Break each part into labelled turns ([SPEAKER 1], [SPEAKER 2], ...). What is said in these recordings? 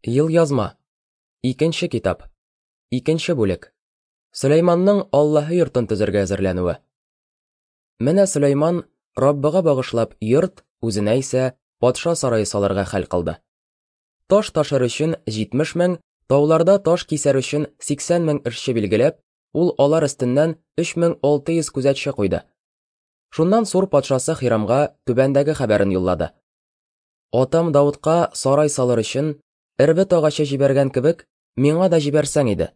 [SPEAKER 1] Елъязма. Икенче китап. Икенче бүлек. Сөләйманның Аллаһы йортын төзергә әзерләнүе. Менә Сөләйман Раббыга багышлап йорт, үзенә исә патша сарае салырга хәл кылды. Таш ташыр өчен 70 мең, тауларда таш кисәр өчен 80 мең эшче билгеләп, ул алар өстеннән 3600 күзәтче куйды. Шуннан Сур патшасы Хирамга түбәндәге хәбәрен юллады. Атам Даудка сарай салыр өчен эрбет агачы җибәргән кебек, миңа да җибәрсәң иде.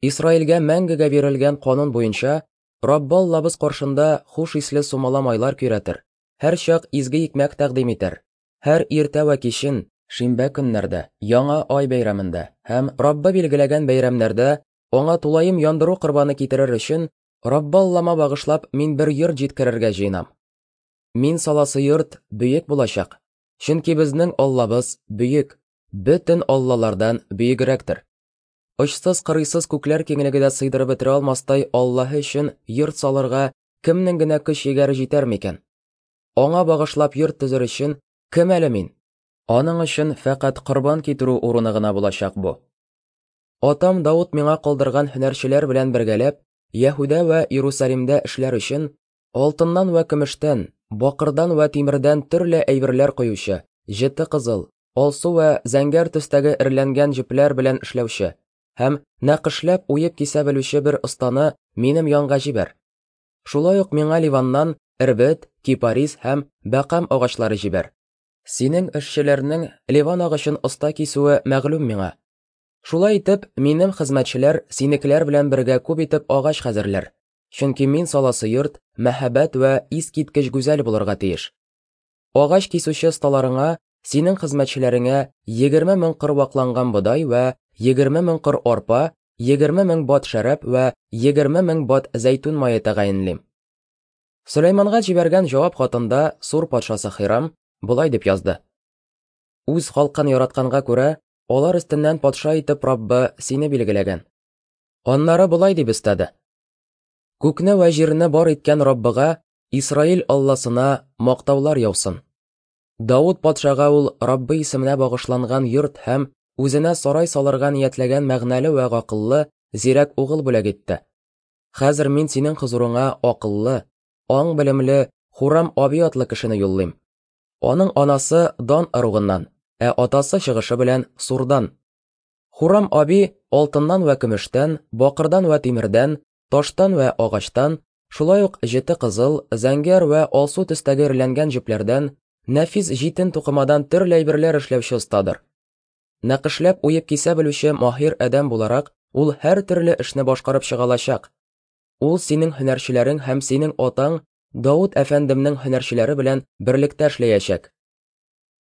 [SPEAKER 1] Исраилгә мәңгегә бирелгән канун буенча, Раббы Аллабыз каршында хуш исле сумала майлар көйрәтер, һәрчак изге икмәк тәкъдим итәр, һәр иртә вә кичен, шимбә көннәрдә, яңа ай бәйрәмендә һәм Раббы билгеләгән бәйрәмнәрдә аңа тулаем яндыру корбаны китерер өчен, Раббы Аллама багышлап мин бер йорт җиткерергә җыенам. Мин саласы йорт бөек булачак, чөнки безнең Аллабыз бөек, бөтен аллалардан бөегрәктер. Очсыз-кырыйсыз күкләр киңлеге дә сыйдырып бетерә алмастай Аллаһы өчен йорт салырга кемнең генә көч-егәре җитәр микән? Аңа багышлап йорт төзер өчен кем әле мин? Аның өчен фәкать корбан китерү урыны гына булачак бу. Атам Давыт миңа калдырган һөнәрчеләр белән бергәләп, Яһүдә вә Иерусалимдә эшләр өчен Алтыннан вә көмештән, бакырдан вә тимердән төрле әйберләр коючы, җете кызыл, алсу вә зәңгәр төстәге эрләнгән җепләр белән эшләүче һәм нәкышләп уеп кисә белүче бер останы минем янга җибәр. Шулай ук миңа Ливаннан эрбет, кипарис һәм бәкам агачлары җибәр. Синең эшчеләрнең Ливан агачын оста кисүе мәгълүм миңа. Шулай итеп, минем хезмәтчеләр синекеләр белән бергә күп итеп агач хәзерләр. Чөнки мин саласы йорт мәһабәт вә искиткеч гүзәл булырга тиеш. Агач кисүче осталарыңа, синең хезмәтчеләреңә 20 мең кыр вакланган бодай вә 20 мең кыр арпа, 20 мең бат шәраб вә 20 мең бат зәйтүн мае тәгаенлим. Сөләйманга җибәргән җавап хатында Сур патшасы Хирам болай дип язды. Үз халкын яратканга күрә, алар өстеннән патша итеп Раббы сине билгеләгән. Аннары болай дип өстәде. Күкне вә җирне бар иткән Раббыга, Исраил Алласына мактаулар яусын. Давыт патшага ул Раббы исеменә багышланган йорт һәм үзенә сарай салырга ниятләгән мәгънәле вә гакыллы, зирәк угыл бүләк итте. Хәзер мин синең хозурыңа акыллы, аң белемле Хурам Аби атлы кешене юллыйм. Аның анасы Дан ыругыннан, ә атасы чыгышы белән Сурдан. Хурам Аби алтыннан вә көмештән, бакырдан вә тимердән, таштан вә агачтан, шулай ук җете кызыл, зәңгәр вә алсу төстәге эрләнгән җепләрдән, нәфис җитен тукымадан төрле әйберләр эшләүче остадыр. Нәкышләп уеп кисә белүче маһир адәм буларак, ул һәр төрле эшне башкарып чыга алачак. Ул синең һөнәрчеләрең һәм синең атаң Давыт әфәндемнең һөнәрчеләре белән берлектә эшләячәк.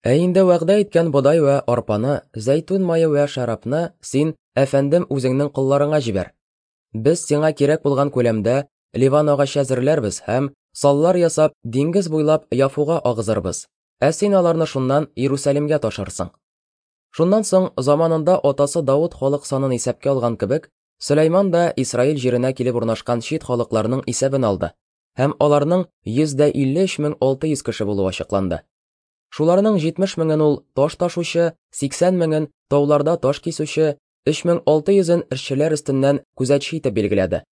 [SPEAKER 1] Ә инде вәгъдә иткән бодай вә арпаны, зәйтүн мае вә шәрабны син, әфәндем, үзеңнең колларыңа җибәр. Без сиңа кирәк булган күләмдә Ливан агачы әзерләрбез һәм, саллар ясап, диңгез буйлап Яфуга агызырбыз, ә син аларны шуннан Иерусалимгә ташырсың. Шуннан соң, заманында атасы Давыт халык санын исәпкә алган кебек, Сөләйман да Исраил җиренә килеп урнашкан чит халыкларның исәбен алды, һәм аларның 153 600 кеше булуы ачыкланды. Шуларның 70 меңен ул таш ташучы, 80 меңен тауларда таш кисүче, 3600-ен эшчеләр өстеннән күзәтче итеп билгеләде.